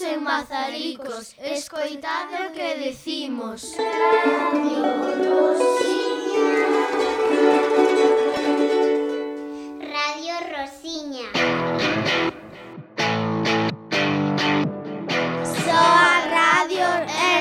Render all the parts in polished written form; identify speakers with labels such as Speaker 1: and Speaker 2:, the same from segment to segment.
Speaker 1: en Mazaricos, escoitade o que decimos.
Speaker 2: Radio Rosiña.
Speaker 1: Soa Radio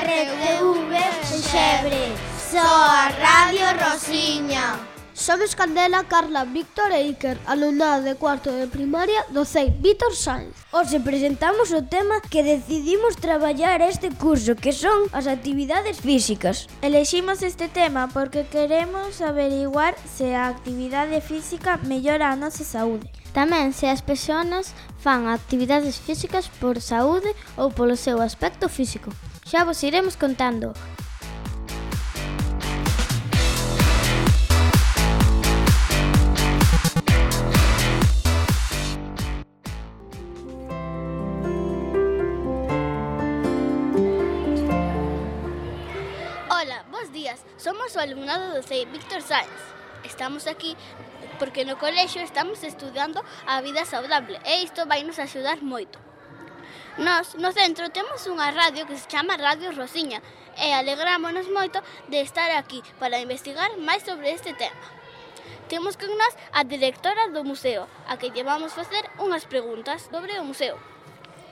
Speaker 1: RTV Xebre. Soa Radio Rosiña.
Speaker 3: Somos Candela, Carla, Víctor e Iker, alumnado de cuarto de primaria do CEI Víctor Sainz.
Speaker 4: Hoxe presentamos o tema que decidimos traballar este curso, que son as actividades físicas.
Speaker 5: Eleximos este tema porque queremos averiguar se a actividade física mellora a nosa saúde.
Speaker 6: Tamén se as persoas fan actividades físicas por saúde ou polo seu aspecto físico. Xa vos iremos contando.
Speaker 7: Ola, bos días. Somos o alumnado do CEI Víctor Sainz. Estamos aquí porque no colexio estamos estudando a vida saudable e isto vai nos axudar moito. Nós, no centro, temos unha radio que se chama Radio Rosiña e alegrámonos moito de estar aquí para investigar máis sobre este tema. Temos con nós a directora do museo, a que lle vamos facer unhas preguntas sobre o museo.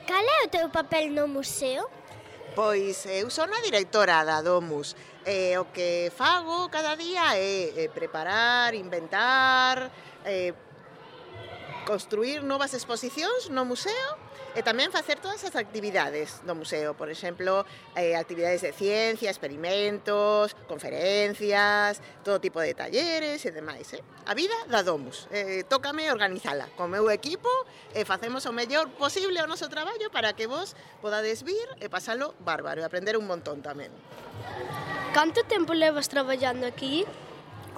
Speaker 2: Cal é o teu papel no museo?
Speaker 8: Pois eu son a directora da Domus. O que fago cada día é preparar, inventar, construir novas exposicións no museo e tamén facer todas as actividades do museo. Por exemplo, actividades de ciencia, experimentos, conferencias, todo tipo de talleres e demais. A vida da Domus. Tócame organizala con meu equipo e facemos o mellor posible o noso traballo para que vos podades vir e pasalo bárbaro e aprender un montón tamén.
Speaker 3: Canto tempo levas traballando aquí?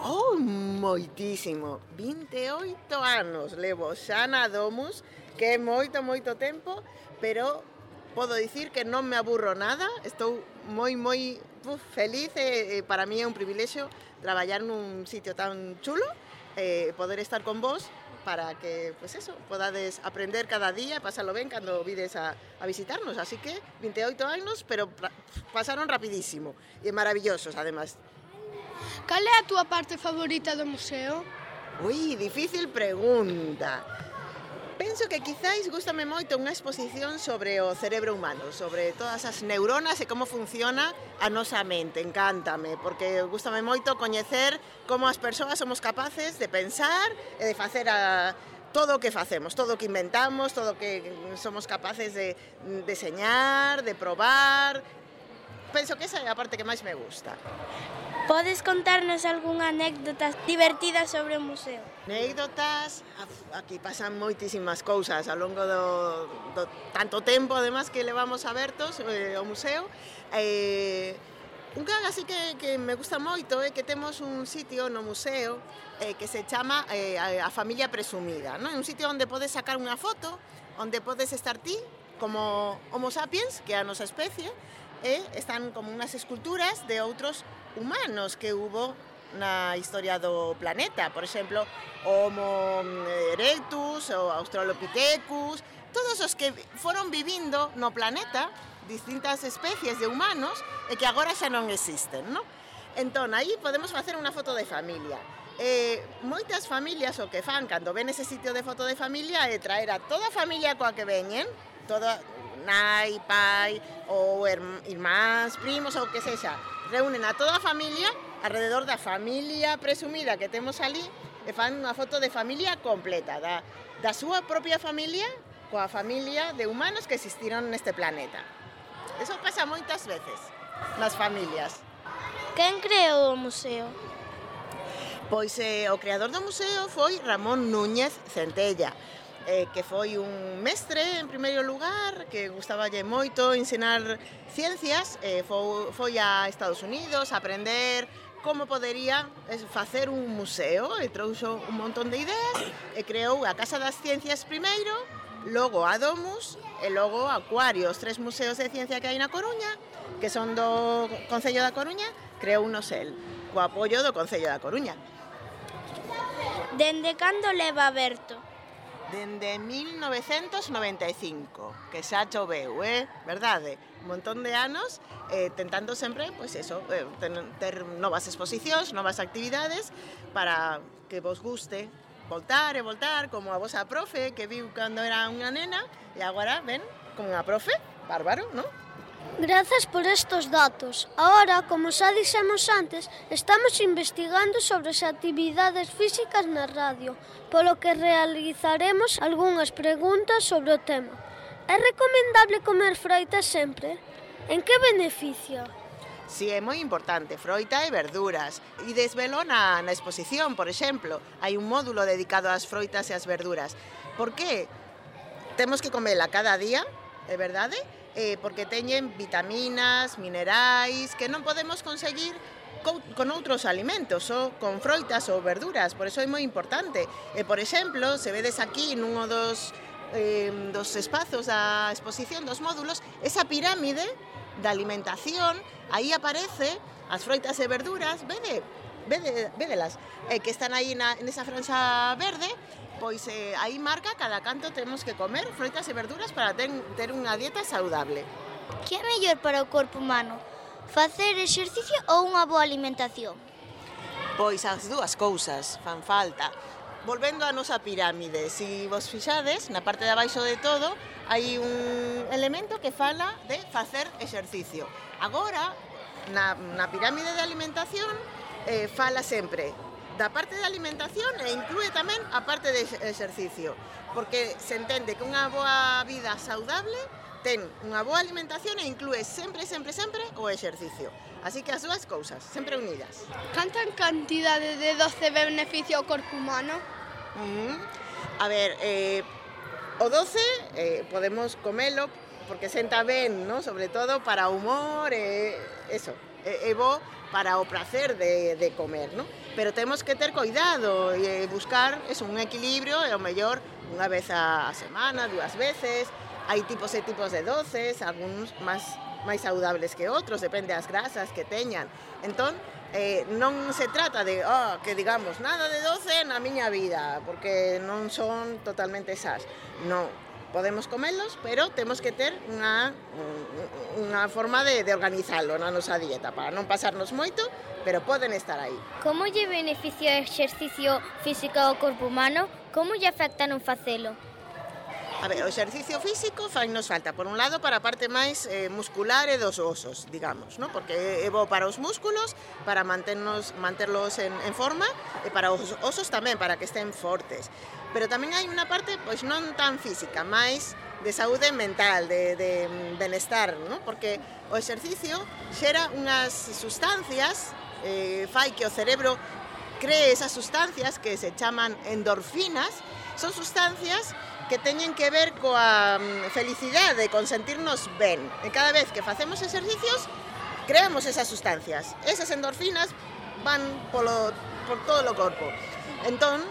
Speaker 8: Oh, moitísimo. 28 anos levo xa na Domus, que é moito tempo, pero podo dicir que non me aburro nada. Estou moi feliz e para mí é un privilexio traballar nun sitio tan chulo, poder estar con vos para que, pues eso, podades aprender cada día e pasalo ben cando vides a visitarnos. Así que 28 anos, pero pasaron rapidísimo e maravillosos, además.
Speaker 3: Cal é a túa parte favorita do museo?
Speaker 8: Ui, difícil pregunta. Penso que quizáis gústame moito unha exposición sobre o cerebro humano, sobre todas as neuronas e como funciona a nosa mente. Encántame, porque gústame moito coñecer como as persoas somos capaces de pensar e de facer todo o que facemos, todo o que inventamos, todo o que somos capaces de deseñar, de probar. Penso que esa é a parte que máis me gusta.
Speaker 5: Podes contarnos algunha anécdota divertida sobre o museo?
Speaker 8: Anécdotas, aquí pasan moitísimas cousas ao longo do tanto tempo, además, que levamos abertos o museo. Unha así que me gusta moito é que temos un sitio no museo que se chama a familia presumida, non? Un sitio onde podes sacar unha foto, onde podes estar ti como Homo sapiens, que é a nosa especie, e están como unhas esculturas de outros humanos que hubo na historia do planeta. Por exemplo, Homo erectus, o Australopithecus, todos os que foron vivindo no planeta, distintas especies de humanos, e que agora xa non existen, non? Entón, aí podemos facer unha foto de familia. Moitas familias o que fan cando ven ese sitio de foto de familia é traer a toda a familia coa que veñen, toda nai, pai, ou irmáns, primos, ou que sexa, reúnen a toda a familia alrededor da familia presumida que temos ali e fan unha foto de familia completa, da súa propia familia coa familia de humanos que existiron neste planeta. Eso pasa moitas veces nas familias.
Speaker 5: Quen creou o museo?
Speaker 8: Pois o creador do museo foi Ramón Núñez Centella, que foi un mestre en primeiro lugar, que gustaballe moito ensinar ciencias, foi a Estados Unidos a aprender como podería facer un museo e trouxo un montón de ideas e creou a Casa das Ciencias primeiro, logo a Domus e logo a Acuario, os 3 museos de ciencia que hai na Coruña, que son do Concello da Coruña, creou unos el, co apoio do Concello da Coruña.
Speaker 5: Dende cando leva aberto?
Speaker 8: Dende 1995, que xa choveu, verdade? Un montón de anos tentando sempre, pois eso, ter novas exposicións, novas actividades para que vos guste voltar e voltar, como a vosa profe que viu cando era unha nena e agora ven como unha profe, bárbaro, non?
Speaker 3: Grazas por estos datos. Ahora, como xa dixemos antes, estamos investigando sobre as actividades físicas na radio, polo que realizaremos algunhas preguntas sobre o tema. É recomendable comer froita sempre? En que beneficia?
Speaker 8: Si, é moi importante, froita e verduras. E desvelo na exposición, por exemplo. Hai un módulo dedicado ás froitas e ás verduras. Por que? Temos que comela cada día, é verdade? Porque teñen vitaminas, minerais, que non podemos conseguir con outros alimentos, ou con froitas ou verduras, por eso é moi importante. Por exemplo, se vedes aquí nunha dos espazos da exposición, dos módulos, esa pirámide da alimentación, aí aparece as froitas e verduras, védelas, que están aí nesa franxa verde, pois aí marca cada canto temos que comer froitas e verduras para ter unha dieta saudable.
Speaker 2: Que é mellor para o corpo humano? Facer exercicio ou unha boa alimentación?
Speaker 8: Pois as dúas cousas fan falta. Volvendo á nosa pirámide, se vos fixades, na parte de abaixo de todo, hai un elemento que fala de facer exercicio. Agora, na pirámide de alimentación, fala sempre da parte de alimentación e inclúe tamén a parte de exercicio, porque se entende que unha boa vida saudable ten unha boa alimentación e inclúe sempre o exercicio. Así que as dúas cousas, sempre unidas.
Speaker 1: Canta cantidade de doce beneficia ao corpo humano?
Speaker 8: A ver, o doce podemos comelo porque senta ben, ¿no? Sobre todo para o humor, eso, é bo para o placer de comer, ¿no? Pero temos que ter cuidado e buscar un equilibrio e o mellor unha vez a semana, dúas veces. Hai tipos e tipos de doces, algúns máis saudables que outros, depende das grasas que teñan. Entón, non se trata de que digamos nada de doce na miña vida, porque non son totalmente esas. Non, podemos comelos, pero temos que ter unha forma de organizalo na nosa dieta para non pasarnos moito, pero poden estar aí.
Speaker 2: Como lle beneficia o exercicio físico ao corpo humano? Como lle afecta non facelo?
Speaker 8: A ver, o exercicio físico fainos falta, por un lado, para a parte máis muscular e dos osos, digamos, ¿no? Porque é bo para os músculos, para manterlos en forma, e para os osos tamén, para que estén fortes. Pero tamén hai unha parte, pois non tan física, máis de saúde mental, de benestar, ¿no? Porque o exercicio xera unhas sustancias, fai que o cerebro cree esas sustancias que se chaman endorfinas, son sustancias que teñen que ver coa felicidade, con sentirnos ben. E cada vez que facemos exercicios, creamos esas sustancias. Esas endorfinas van por todo o corpo. Entón,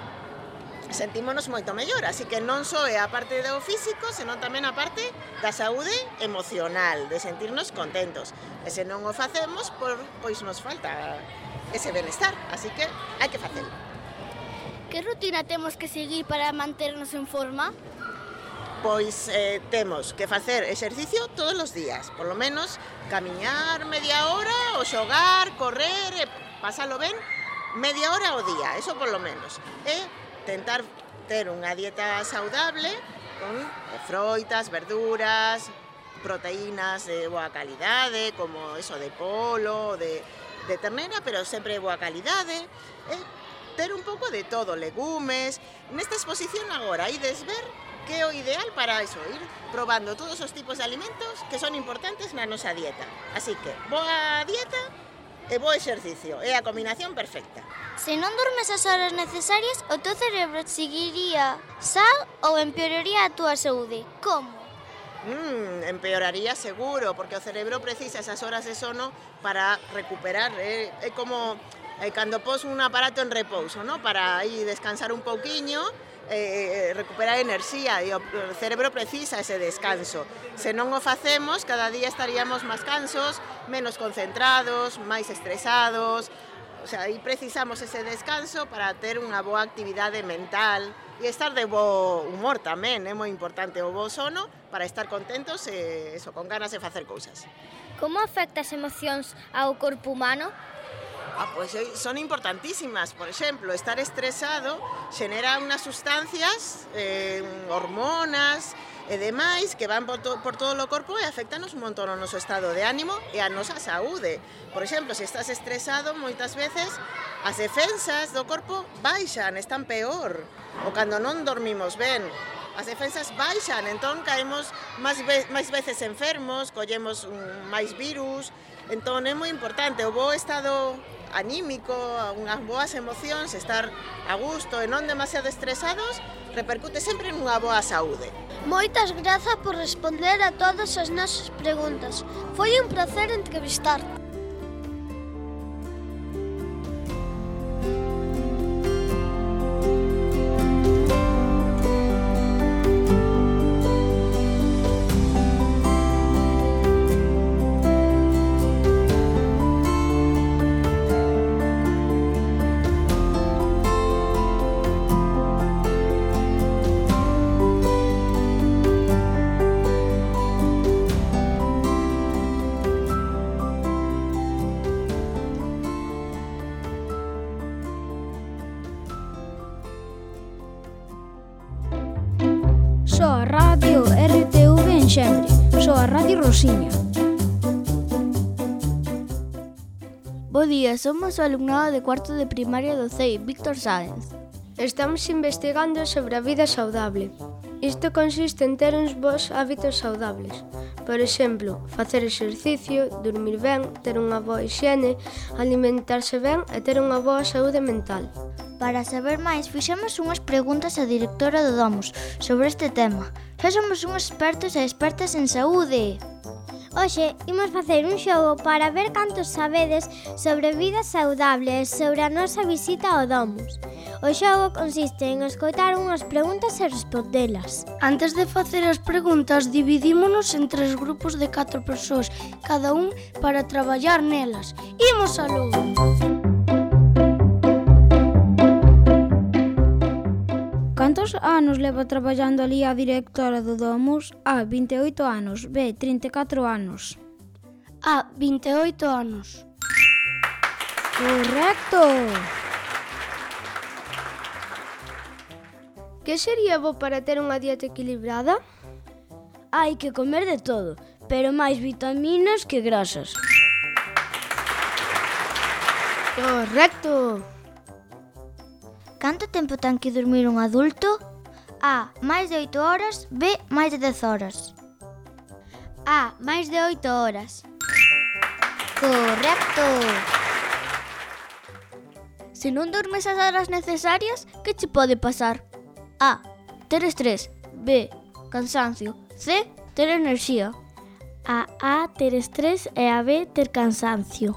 Speaker 8: sentímonos moito mellor, así que non só é a parte do físico, senón tamén a parte da saúde emocional, de sentirnos contentos. E se non o facemos, pois nos falta ese benestar, así que hai que facelo.
Speaker 7: Que rutina temos que seguir para manternos en forma?
Speaker 8: Pois temos que facer exercicio todos os días, por lo menos camiñar media hora, ou xogar, correr, pasalo ben, media hora ao día, eso por lo menos. E tentar ter unha dieta saudable con froitas, verduras, proteínas de boa calidade, como eso de polo, de ternera, pero sempre de boa calidade, ter un pouco de todo, legumes. Nesta exposición agora ides ver que é o ideal para eso, ir probando todos os tipos de alimentos que son importantes na nosa dieta. Así que, boa dieta e bo exercicio, é a combinación perfecta.
Speaker 2: Se non dormes as horas necesarias, o teu cerebro seguiría sal ou empeoraría a túa saúde? Como?
Speaker 8: Empeoraría seguro, porque o cerebro precisa esas horas de sono para recuperar. É como cando pos un aparato en repouso, ¿no? Para aí descansar un pouquiño, recuperar enerxía, e o cerebro precisa ese descanso. Se non o facemos, cada día estaríamos máis cansos, menos concentrados, máis estresados. O sea, aí precisamos ese descanso para ter unha boa actividade mental e estar de bo humor tamén, é moi importante o bo sono para estar contentos e eso, con ganas de facer cousas.
Speaker 2: Como afecta as emocións ao corpo humano?
Speaker 8: Pois son importantísimas. Por exemplo, estar estresado xenera unhas sustancias, hormonas e demais que van por todo o corpo e afectanos un montón o noso estado de ánimo e a nosa saúde. Por exemplo, se estás estresado, moitas veces as defensas do corpo baixan, están peor. Ou cando non dormimos ben, as defensas baixan, entón caemos máis veces enfermos, collemos máis virus. Entón é moi importante o bo estado anímico, unhas boas emocións, estar a gusto e non demasiado estresados, repercute sempre nunha boa saúde.
Speaker 3: Moitas grazas por responder a todas as nosas preguntas. Foi un placer entrevistar.
Speaker 4: Soa Radio RTV en Xenre. Soa Radio Rosiña.
Speaker 5: Bo día, somos o alumnado de cuarto de primaria do CEI Víctor Sáenz.
Speaker 3: Estamos investigando sobre a vida saudable. Isto consiste en ter uns bons hábitos saudables. Por exemplo, facer exercicio, dormir ben, ter unha boa hixiene, alimentarse ben e ter unha boa saúde mental.
Speaker 6: Para saber máis, fixemos unhas preguntas á directora do Domus sobre este tema. Xa somos uns expertos e expertas en saúde.
Speaker 2: Hoxe imos facer un xogo para ver cantos sabedes sobre vida saudable e sobre a nosa visita ao Domus. O xogo consiste en escoitar unhas preguntas e respondelas.
Speaker 3: Antes de facer as preguntas, dividímonos en 3 grupos de 4 persoas, cada un para traballar nelas. Imos aló!
Speaker 4: Cantos anos leva traballando ali a directora do Domus? A, 28 anos. B, 34 anos.
Speaker 3: A, 28 anos.
Speaker 4: Correcto!
Speaker 3: Que sería bo para ter unha dieta equilibrada?
Speaker 4: Hai que comer de todo, pero máis vitaminas que grasas.
Speaker 3: Correcto!
Speaker 6: Canto tempo ten que dormir un adulto? A, máis de 8 horas. B, máis de 10 horas.
Speaker 2: A, máis de 8 horas.
Speaker 6: Correcto!
Speaker 5: Se non dormes as horas necesarias, que che pode pasar? A, ter estrés. B, cansancio. C, ter enerxía. A, ter estrés e a B, ter cansancio.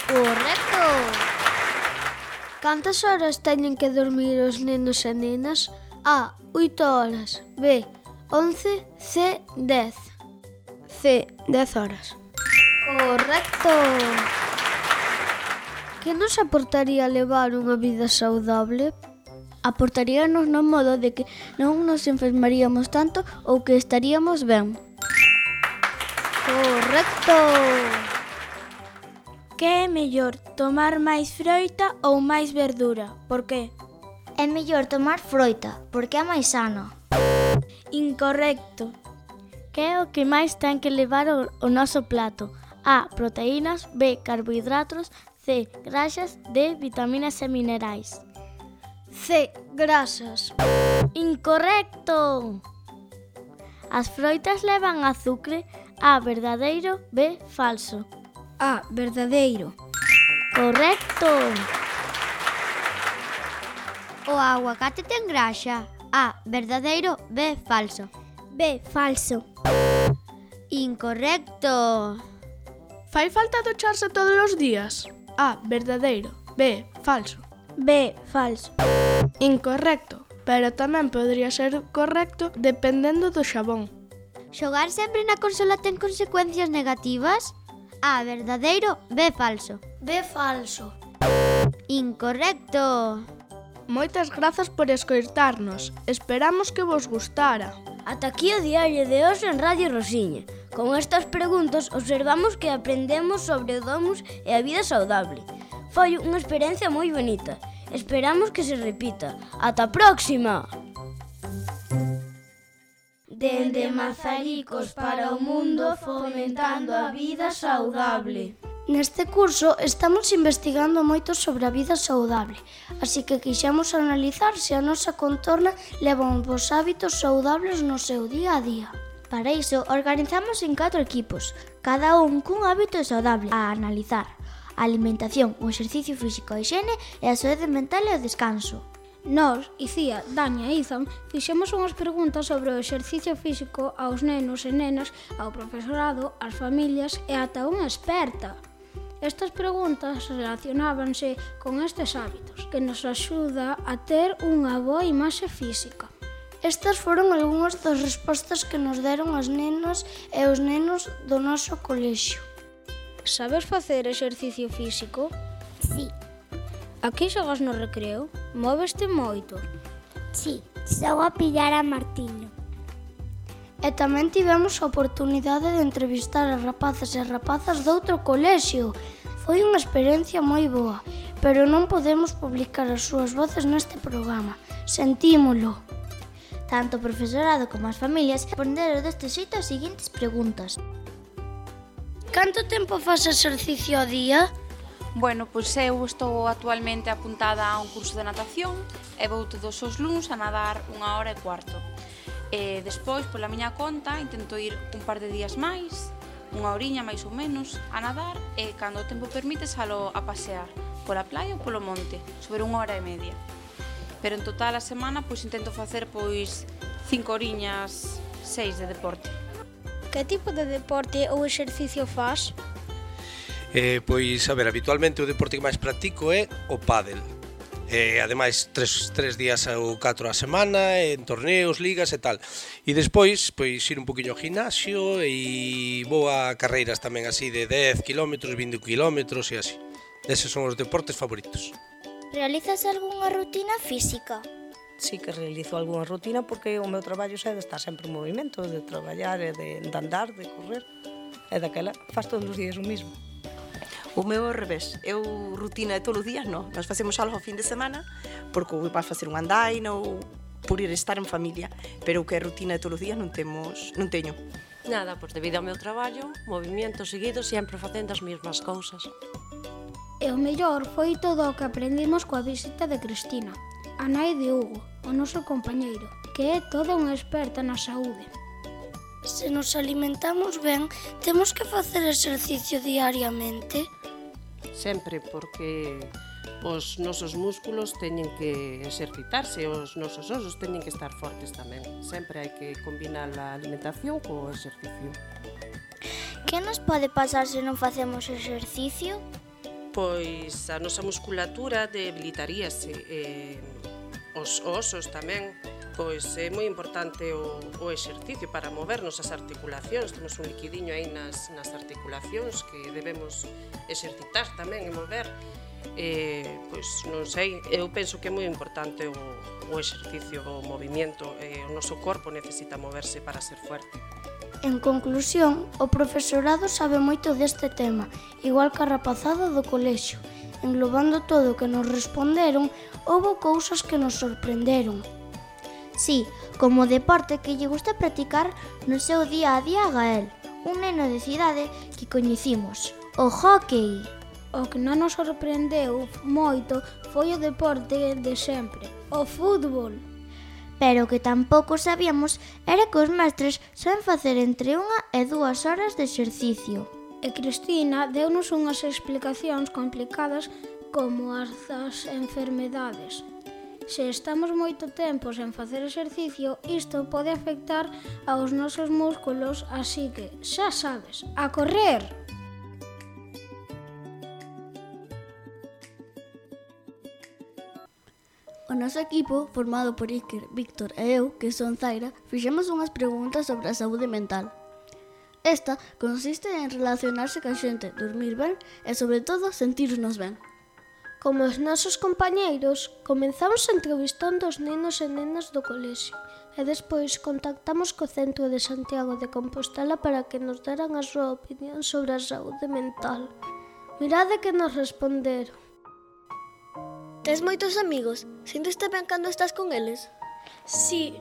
Speaker 6: Correcto!
Speaker 3: Cantas horas teñen que dormir os nenos e nenas? A, 8 horas. B, 11. C, 10. C, 10 horas.
Speaker 6: Correcto!
Speaker 3: Que nos aportaría levar unha vida saudable?
Speaker 5: Aportaríanos no modo de que non nos enfermaríamos tanto ou que estaríamos ben.
Speaker 3: Correcto!
Speaker 5: Que é mellor, tomar máis froita ou máis verdura? Por que?
Speaker 6: É mellor tomar froita, porque é máis sano.
Speaker 5: Incorrecto. Que é o que máis ten que levar o noso plato? A, proteínas. B, carbohidratos. C, grasas. D, vitaminas e minerais.
Speaker 3: C, grasas.
Speaker 5: Incorrecto. As froitas levan azucre. A, verdadeiro. B, falso.
Speaker 4: A, verdadeiro.
Speaker 5: Correcto.
Speaker 2: O aguacate ten graxa. A, verdadeiro. B, falso.
Speaker 3: B, falso.
Speaker 2: Incorrecto.
Speaker 9: Fai falta ducharse todos os días? A, verdadeiro. B, falso.
Speaker 5: B, falso.
Speaker 9: Incorrecto, pero tamén podría ser correcto dependendo do xabón.
Speaker 2: Xogar sempre na consola ten consecuencias negativas? A, verdadeiro, B, falso.
Speaker 3: B, falso.
Speaker 2: Incorrecto.
Speaker 9: Moitas grazas por escoitarnos. Esperamos que vos gustara.
Speaker 6: Ata aquí o diario de hoxe en Radio Rosiña. Con estas preguntas observamos que aprendemos sobre o domus e a vida saudable. Foi unha experiencia moi bonita. Esperamos que se repita. Ata a próxima!
Speaker 5: Dende Mazaricos para o mundo, fomentando a vida saudable.
Speaker 3: Neste curso estamos investigando moito sobre a vida saudable, así que quixemos analizar se a nosa contorna leva uns hábitos saudables no seu día a día.
Speaker 5: Para iso, organizamos en 4 equipos, cada un cun hábito saudable a analizar: a alimentación, o exercicio físico, a higiene e a saúde mental e o descanso.
Speaker 4: Nós, Icía, Dania e Izan, fixemos unhas preguntas sobre o exercicio físico aos nenos e nenas, ao profesorado, ás familias e ata unha experta. Estas preguntas relacionábanse con estes hábitos, que nos axuda a ter unha boa imaxe física.
Speaker 3: Estas foron algunhas das respostas que nos deron as nenas e os nenos do noso colexio.
Speaker 4: Sabes facer exercicio físico?
Speaker 2: Sí.
Speaker 4: A que xogas no recreo? Móveste moito?
Speaker 2: Sí, xogo a pillar a Martiño.
Speaker 3: E tamén tivemos a oportunidade de entrevistar a rapaces e rapazas doutro colexio. Foi unha experiencia moi boa, pero non podemos publicar as súas voces neste programa. Sentímolo.
Speaker 5: Tanto o profesorado como as familias responderon deste xeito as seguintes preguntas.
Speaker 3: Canto tempo faz exercicio ao día?
Speaker 10: Bueno, pois eu estou actualmente apuntada a un curso de natación e vou todos os luns a nadar 1 hora e cuarto. E despois, pola miña conta, intento ir un par de días máis, 1 horiña máis ou menos, a nadar e, cando o tempo permite, salo a pasear pola playa ou polo monte, sobre 1 hora e media. Pero en total a semana, pois intento facer 5 horiñas, 6 de deporte.
Speaker 4: Que tipo de deporte ou exercicio faz?
Speaker 11: Pois, a ver, habitualmente o deporte que máis practico é o pádel. Ademais, 3 días ou 4 a semana, en torneos, ligas e tal. E despois, pois, ir un poquinho ao gimnasio e vou a carreiras tamén así de 10 km, 20 km e así. Eses son os deportes favoritos.
Speaker 5: Realizas algunha rutina física?
Speaker 12: Sí que realizo algunha rutina porque o meu traballo é de estar sempre en movimento, de traballar e de andar, de correr. E daquela faz todos os días o mismo.
Speaker 13: O meu ao revés, eu rutina de todos os días non, nós facemos algo ao fin de semana porque vais facer un andaina ou por ir estar en familia, pero o que é rutina de todos os días non teño.
Speaker 14: Nada, pois debido ao meu traballo, movimento seguido, sempre facendo as mesmas cousas.
Speaker 4: E o mellor foi todo o que aprendimos coa visita de Cristina, a nai de Hugo, o noso compañeiro, que é toda unha experta na saúde.
Speaker 3: Se nos alimentamos ben, temos que facer exercicio diariamente?
Speaker 14: Sempre, porque os nosos músculos teñen que exercitarse, os nosos osos teñen que estar fortes tamén. Sempre hai que combinar a alimentación co exercicio.
Speaker 5: Que nos pode pasar se non facemos exercicio?
Speaker 14: Pois a nosa musculatura debilitaríase, os osos tamén. Pois é moi importante o exercicio para movernos as articulacións. Temos un liquidiño aí nas articulacións que debemos exercitar tamén e mover. Pois non sei, eu penso que é moi importante o exercicio, o movimento. O noso corpo necesita moverse para ser fuerte.
Speaker 3: En conclusión, o profesorado sabe moito deste tema, igual que a rapazada do colexio. Englobando todo o que nos responderon, houbo cousas que nos sorprenderon.
Speaker 5: Sí, como deporte que lle gusta practicar no seu día a día a Gael, un neno de cidade que coñecimos, o hóckey.
Speaker 4: O que non nos sorprendeu moito foi o deporte de sempre, o fútbol.
Speaker 5: Pero o que tampouco sabíamos era que os mestres saben facer entre 1 e 2 horas de exercicio.
Speaker 4: E Cristina deu-nos unhas explicacións complicadas como as das enfermedades. Se estamos moito tempo sen facer exercicio, isto pode afectar aos nosos músculos, así que, xa sabes, a correr!
Speaker 6: O noso equipo, formado por Iker, Víctor e eu, que son Zaira, fixemos unhas preguntas sobre a saúde mental.
Speaker 5: Esta consiste en relacionarse ca xente, dormir ben e, sobre todo, sentirnos ben.
Speaker 3: Como os nosos compañeiros, comenzamos entrevistando os nenos e nenas do colexio e despois contactamos co Centro de Santiago de Compostela para que nos deran a súa opinión sobre a saúde mental. Mirade que nos responderon.
Speaker 15: Tes moitos amigos? Sinteste ben cando estás con eles?
Speaker 16: Sí,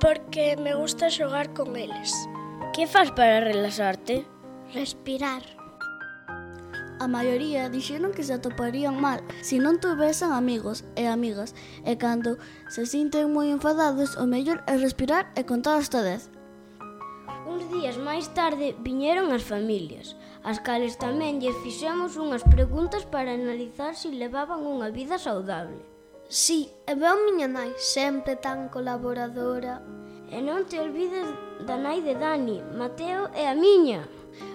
Speaker 16: porque me gusta xogar con eles.
Speaker 6: Que faz para relaxarte?
Speaker 2: Respirar.
Speaker 5: A maioría dixeron que se atoparían mal se non tuvesen amigos e amigas, e cando se sinten moi enfadados, o mellor é respirar e contar hasta 10.
Speaker 6: Uns días máis tarde viñeron as familias, as cales tamén lles fixemos unhas preguntas para analizar se levaban unha vida saudable.
Speaker 3: Sí, e veo miña nai, sempre tan colaboradora.
Speaker 6: E non te olvides da nai de Dani, Mateo e a miña.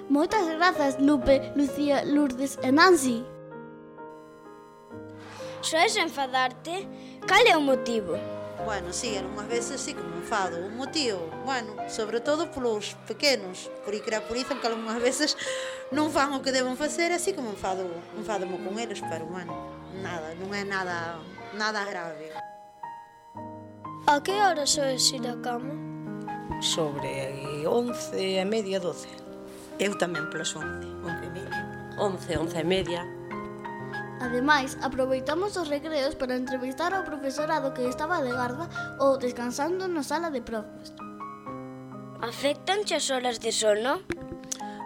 Speaker 5: Moitas grazas, Lupe, Lucía, Lourdes e Nancy.
Speaker 16: Soes enfadarte? Cal é o motivo?
Speaker 17: Bueno, sí, algunhas veces sí que me enfado. O motivo, bueno, sobre todo polos pequenos, porque creapurizan que algunhas veces non fan o que deben facer, así que me enfadamo con eles, pero bueno, nada, non é nada grave.
Speaker 3: A que hora soes ir a cama?
Speaker 12: Sobre 11:30, 12.
Speaker 13: Eu tamén polas 11, 11:30.
Speaker 18: 11:30.
Speaker 5: Ademais, aproveitamos os recreos para entrevistar ao profesorado que estaba de garda ou descansando na sala de profes.
Speaker 16: Afectanche as horas de sono?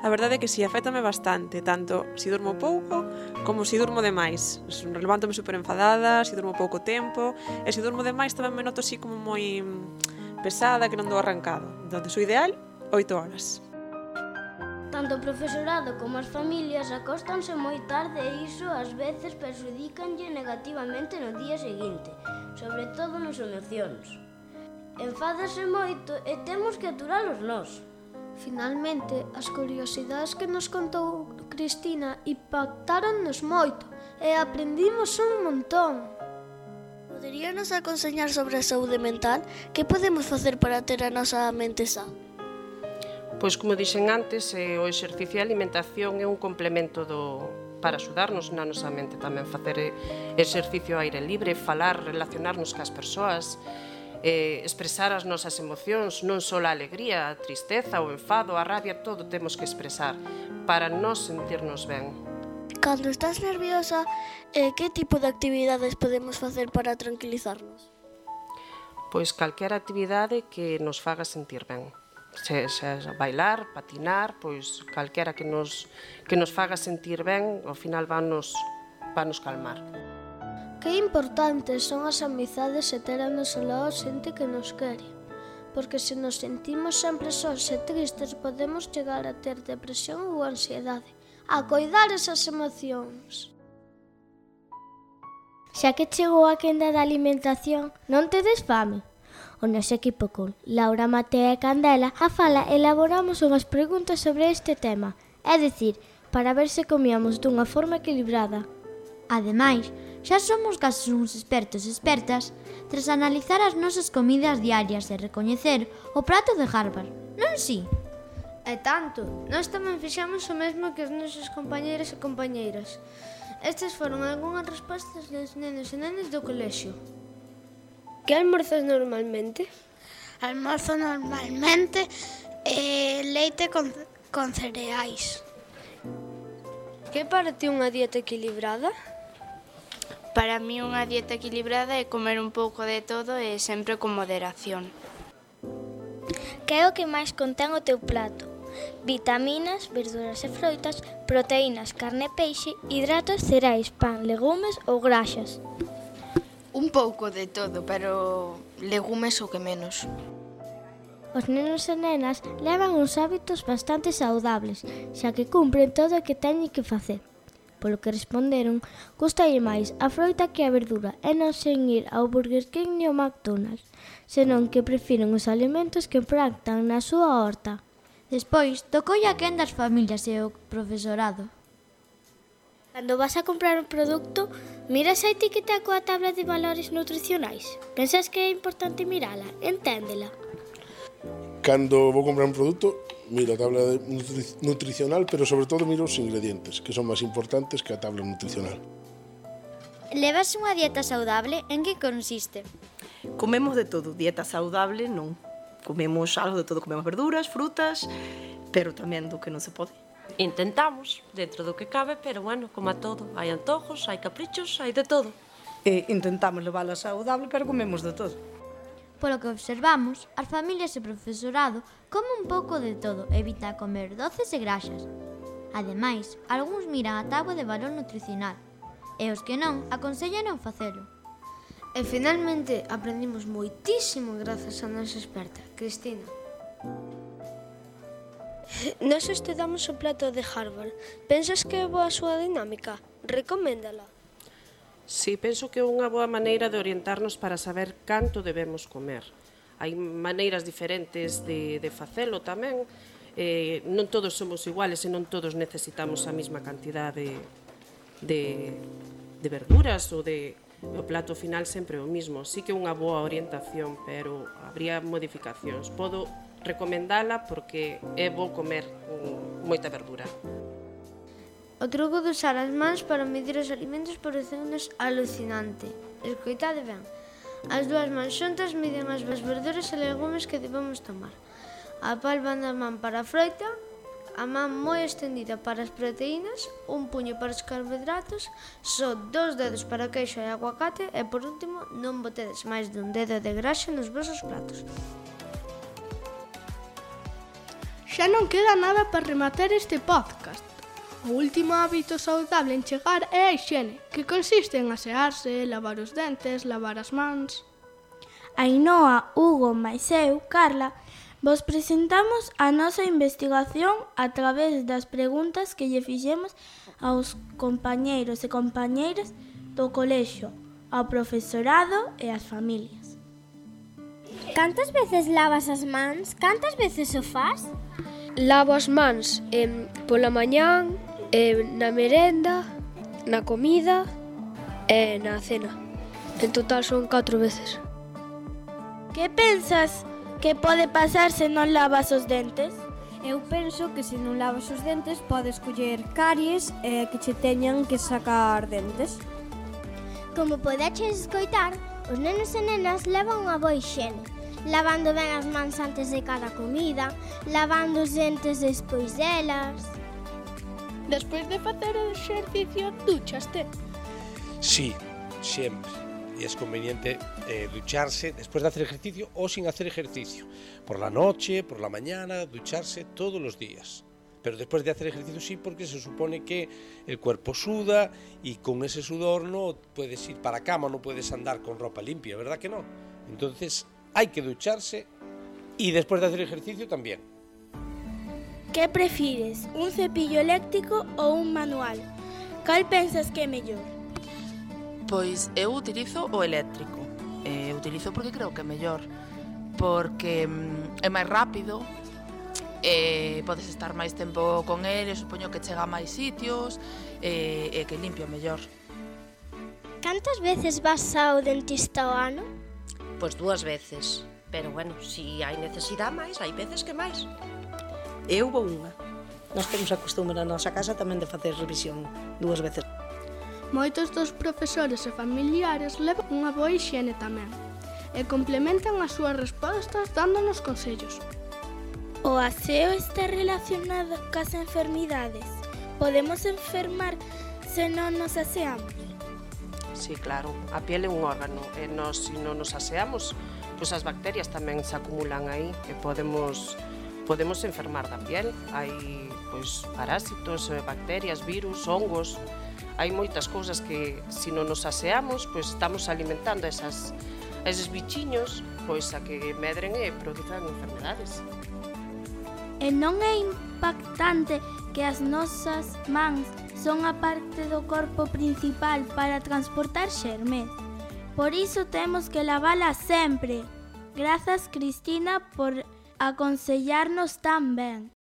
Speaker 19: A verdade é que si, afétame bastante, tanto se durmo pouco como se durmo demais. Levántome super enfadada, se durmo pouco tempo, e se durmo demais tamén me noto así como moi pesada, que non dou arrancado. Entón, o ideal, 8 horas.
Speaker 6: Tanto o profesorado como as familias acóstanse moi tarde e iso ás veces perxudícanlle negativamente no día seguinte, sobre todo nas emocións. Enfádase moito e temos que aturalos nós.
Speaker 3: Finalmente, as curiosidades que nos contou Cristina impactaronnos moito e aprendimos un montón.
Speaker 15: Poderíanos aconsellar sobre a saúde mental? Que podemos facer para ter a nosa mente sá?
Speaker 14: Pois, como dixen antes, o exercicio e a alimentación é un complemento para axudarnos na nosa mente tamén. Facer exercicio ao aire libre, falar, relacionarnos cas persoas, expresar as nosas emocións, non só a alegría, a tristeza, o enfado, a rabia, todo temos que expresar para nos sentirnos ben.
Speaker 15: Cando estás nerviosa, que tipo de actividades podemos facer para tranquilizarnos?
Speaker 14: Pois calquera actividade que nos faga sentir ben. Se bailar, patinar, pois calquera que nos faga sentir ben, ao final vanos calmar.
Speaker 3: Que importantes son as amizades e ter a noso lado xente que nos quere. Porque se nos sentimos sempre sós e tristes, podemos chegar a ter depresión ou ansiedade. A coidar esas emocións.
Speaker 2: Xa que chegou a quenda da alimentación, non tedes fame? O noso equipo con Laura, Mateo e Candela a fala elaboramos unhas preguntas sobre este tema, é dicir, para ver se comíamos dunha forma equilibrada.
Speaker 20: Ademais, xa somos case uns expertos e expertas tras analizar as nosas comidas diarias e recoñecer o prato de Harvard, non si?
Speaker 4: E tanto, nós tamén fixamos o mesmo que os nosos compañeiros e compañeiras. Estas foron algunhas respostas dos nenos e nenas do colexio.
Speaker 16: Que almorzas normalmente?
Speaker 4: Almorzo normalmente leite con cereais.
Speaker 16: Que para ti unha dieta equilibrada?
Speaker 21: Para mí unha dieta equilibrada é comer un pouco de todo e sempre con moderación.
Speaker 2: Que é o que máis contén o teu plato? Vitaminas, verduras e froitas, proteínas, carne e peixe, hidratos, cereais, pan, legumes ou graxas?
Speaker 21: Un pouco de todo, pero legumes o que menos.
Speaker 2: Os nenos e nenas levan uns hábitos bastante saudables, xa que cumpren todo o que teñen que facer. Polo que responderon, gustalle máis a froita que a verdura e non sen ir ao Burger King ni ao McDonald's, senón que prefiren os alimentos que plantan na súa horta.
Speaker 20: Despois, tocoulle a quen das familias e o profesorado.
Speaker 2: Cando vas a comprar un produto, miras a etiqueta coa tabla de valores nutricionais. Pensas que é importante mirala, enténdela.
Speaker 22: Cando vou comprar un produto,
Speaker 18: miro a tabla nutricional, pero sobre todo miro os ingredientes, que son máis importantes que a tabla nutricional.
Speaker 2: Levas unha dieta saudable? En que consiste?
Speaker 13: Comemos de todo, dieta saudable non. Comemos algo de todo, comemos verduras, frutas, pero tamén do que non se pode.
Speaker 22: Intentamos, dentro do que cabe, pero bueno, como a todo. Hai antojos, hai caprichos, hai de todo.
Speaker 12: Intentamos levála saudable, pero comemos de todo.
Speaker 20: Polo que observamos, as familias e profesorado comen un pouco de todo, evita comer doces e graxas. Ademais, algúns miran a táboa de valor nutricional, e os que non, aconsellan non facelo.
Speaker 4: E finalmente aprendimos moitísimo grazas á nosa experta, Cristina.
Speaker 16: Nós estudamos o plato de Harvard. Pensas que é boa a súa dinámica? Recoméndala.
Speaker 14: Sí, penso que é unha boa maneira de orientarnos para saber canto debemos comer. Hai maneiras diferentes de facelo tamén. Non todos somos iguales e non todos necesitamos a mesma cantidade de verduras ou o plato final sempre o mismo. Sí que é unha boa orientación, pero habría modificacións. Podo recomendala porque é bo comer moita verdura.
Speaker 4: O truco de usar as mans para medir os alimentos pareceunos alucinante. Escoitade ben. As dúas mans xuntas miden as verduras e legumes que debemos tomar. A palma da man para a froita, a man moi extendida para as proteínas, un puño para os carbohidratos, só 2 dedos para queixo e aguacate e, por último, non botedes máis dun dedo de graxa nos vosos platos.
Speaker 9: Xa non queda nada para rematar este podcast. O último hábito saudable en chegar é a hixiene, que consiste en asearse, lavar os dentes, lavar as mans.
Speaker 23: Ainhoa, Hugo, mais eu, Carla, vos presentamos a nosa investigación a través das preguntas que lle fixemos aos compañeiros e compañeiras do colexio, ao profesorado e ás familias.
Speaker 2: Cantas veces lavas as mans? Cantas veces o fas?
Speaker 16: Lavo as mans pola mañán, na merenda, na comida e na cena. En total son 4 veces.
Speaker 23: Que pensas que pode pasar se non lavas os dentes?
Speaker 24: Eu penso que se non lavas os dentes podes coller caries e que che teñan que sacar dentes.
Speaker 2: Como podeches escoitar, os nenos e nenas levan unha boa hixiene, lavando ben as mans antes de cada comida, lavando os dentes despois delas.
Speaker 9: Despois de facer o exercicio, duchaste?
Speaker 11: Sí, sempre. E es conveniente ducharse después de hacer ejercicio o sin hacer ejercicio. Por la noche, por la mañana, ducharse todos los días. Pero después de hacer ejercicio sí, porque se supone que el cuerpo suda y con ese sudor no puedes ir para cama, no puedes andar con ropa limpia, ¿verdad que no? Entonces hay que ducharse y después de hacer ejercicio también.
Speaker 23: Que prefires, un cepillo eléctrico ou un manual? Cal pensas que é mellor?
Speaker 25: Pois eu utilizo o eléctrico. Utilizo porque creo que é mellor, porque é máis rápido, podes estar máis tempo con ele, supoño que chega a máis sitios e que limpia mellor.
Speaker 2: Cantas veces vas ao dentista ao ano?
Speaker 26: Pois 2 veces, pero bueno, si hai necesidade máis, hai veces que máis.
Speaker 12: Eu vou unha. Nós temos a costume na nosa casa tamén de facer revisión 2 veces.
Speaker 9: Moitos dos profesores e familiares levan unha boa hixiene tamén e complementan as súas respostas dándonos consellos.
Speaker 23: O aseo está relacionado cas enfermidades. Podemos enfermar se non nos aseamos?
Speaker 14: Sí, claro, a piel é un órgano e nós, se non nos aseamos, pois as bacterias tamén se acumulan aí e podemos enfermar da piel. Hai pois parásitos, bacterias, virus, hongos. Hai moitas cousas que, se non nos aseamos, pois estamos alimentando eses bichiños, pois a que medren e produzan enfermedades.
Speaker 23: E non é impactante que as nosas mans son a parte do corpo principal para transportar xermes. Por iso temos que lavala sempre. Grazas, Cristina, por aconsellarnos tan ben.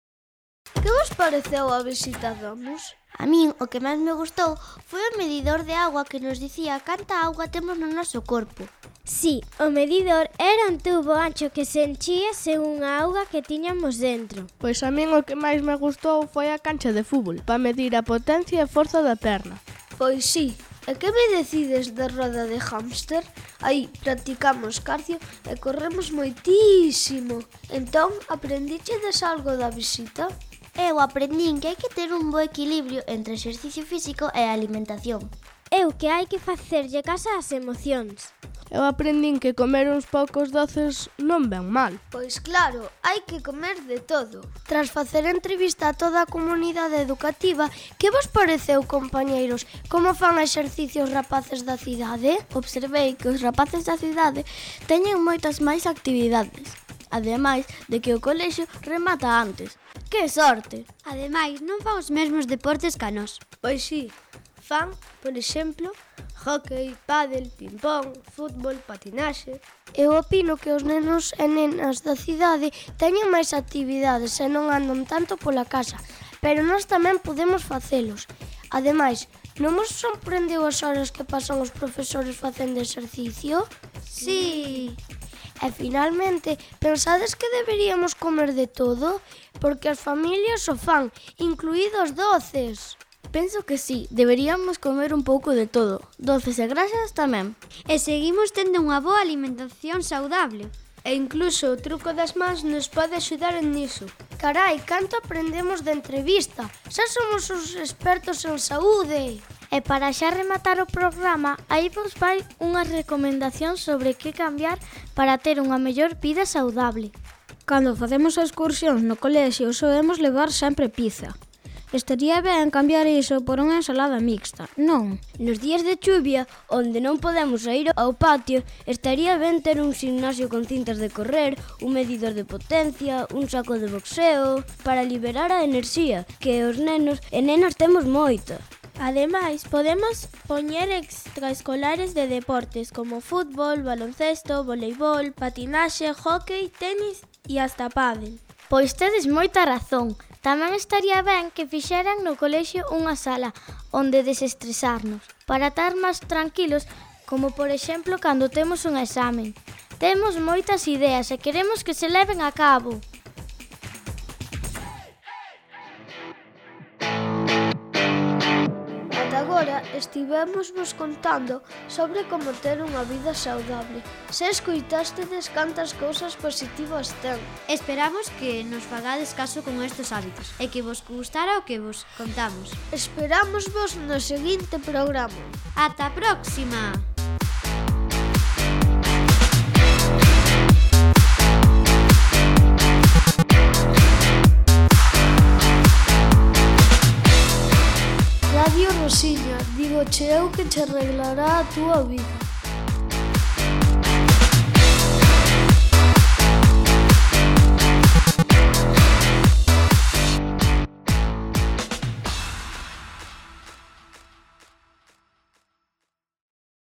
Speaker 3: Que vos pareceu a visita a Domus?
Speaker 2: A min o que máis me gustou foi o medidor de agua que nos dicía canta auga temos no noso corpo. Sí, o medidor era un tubo ancho que se enchía según a auga que tiñamos dentro.
Speaker 9: Pois a min o que máis me gustou foi a cancha de fútbol, para medir a potencia e forza da perna.
Speaker 3: Pois sí. E que me decides da roda de hámster? Aí practicamos cardio e corremos moitísimo. Entón, aprendichedes algo da visita?
Speaker 2: Eu aprendín que hai que ter un bo equilibrio entre exercicio físico e alimentación. Eu que hai que facerlle caso ás emocións.
Speaker 9: Eu aprendín que comer uns poucos doces non ven mal.
Speaker 3: Pois claro, hai que comer de todo. Tras facer entrevista a toda a comunidade educativa, que vos pareceu, compañeiros, como fan exercicios rapaces da cidade?
Speaker 23: Observei que os rapaces da cidade teñen moitas máis actividades, ademais de que o colexio remata antes.
Speaker 2: Que sorte!
Speaker 20: Ademais, non fan os mesmos deportes ca nós.
Speaker 3: Pois sí, fan, por exemplo, hóckey, pádel, ping-pong, fútbol, patinaxe. Eu opino que os nenos e nenas da cidade teñen máis actividades e non andan tanto pola casa, pero nós tamén podemos facelos. Ademais, non vos sorprendeu as horas que pasan os profesores facendo exercicio?
Speaker 20: Sí.
Speaker 3: E finalmente, pensades que deberíamos comer de todo? Porque as familias o fan, incluídos doces.
Speaker 23: Penso que sí, deberíamos comer un pouco de todo, doces e grasas tamén.
Speaker 20: E seguimos tendo unha boa alimentación saudable.
Speaker 3: E incluso o truco das mans nos pode axudar en iso. Carai, canto aprendemos de entrevista. Xa somos os expertos en saúde.
Speaker 23: E para xa rematar o programa, aí vos vai unha recomendación sobre que cambiar para ter unha mellor vida saudable.
Speaker 4: Cando facemos excursións no colexio, solemos levar sempre pizza. Estaría ben cambiar iso por unha ensalada mixta, non?
Speaker 6: Nos días de chuvia, onde non podemos sair ao patio, estaría ben ter un gimnasio con cintas de correr, un medidor de potencia, un saco de boxeo, para liberar a enerxía, que os nenos e nenas temos moita.
Speaker 23: Ademais, podemos poñer extraescolares de deportes como fútbol, baloncesto, voleibol, patinaxe, hóckey, tenis e hasta pádel. Pois tedes moita razón. Tamén estaría ben que fixeran no colexio unha sala onde desestresarnos, para estar máis tranquilos, como por exemplo cando temos un examen. Temos moitas ideas e queremos que se leven a cabo.
Speaker 3: Agora estivemos vos contando sobre como ter unha vida saudable. Se escoitastedes cantas cousas positivas ten.
Speaker 20: Esperamos que nos fagades caso con estes hábitos e que vos gustara o que vos contamos.
Speaker 3: Esperamos vos no seguinte programa.
Speaker 20: Ata a próxima!
Speaker 3: Radio Rosiña, digo che eu que che arreglará a túa vida.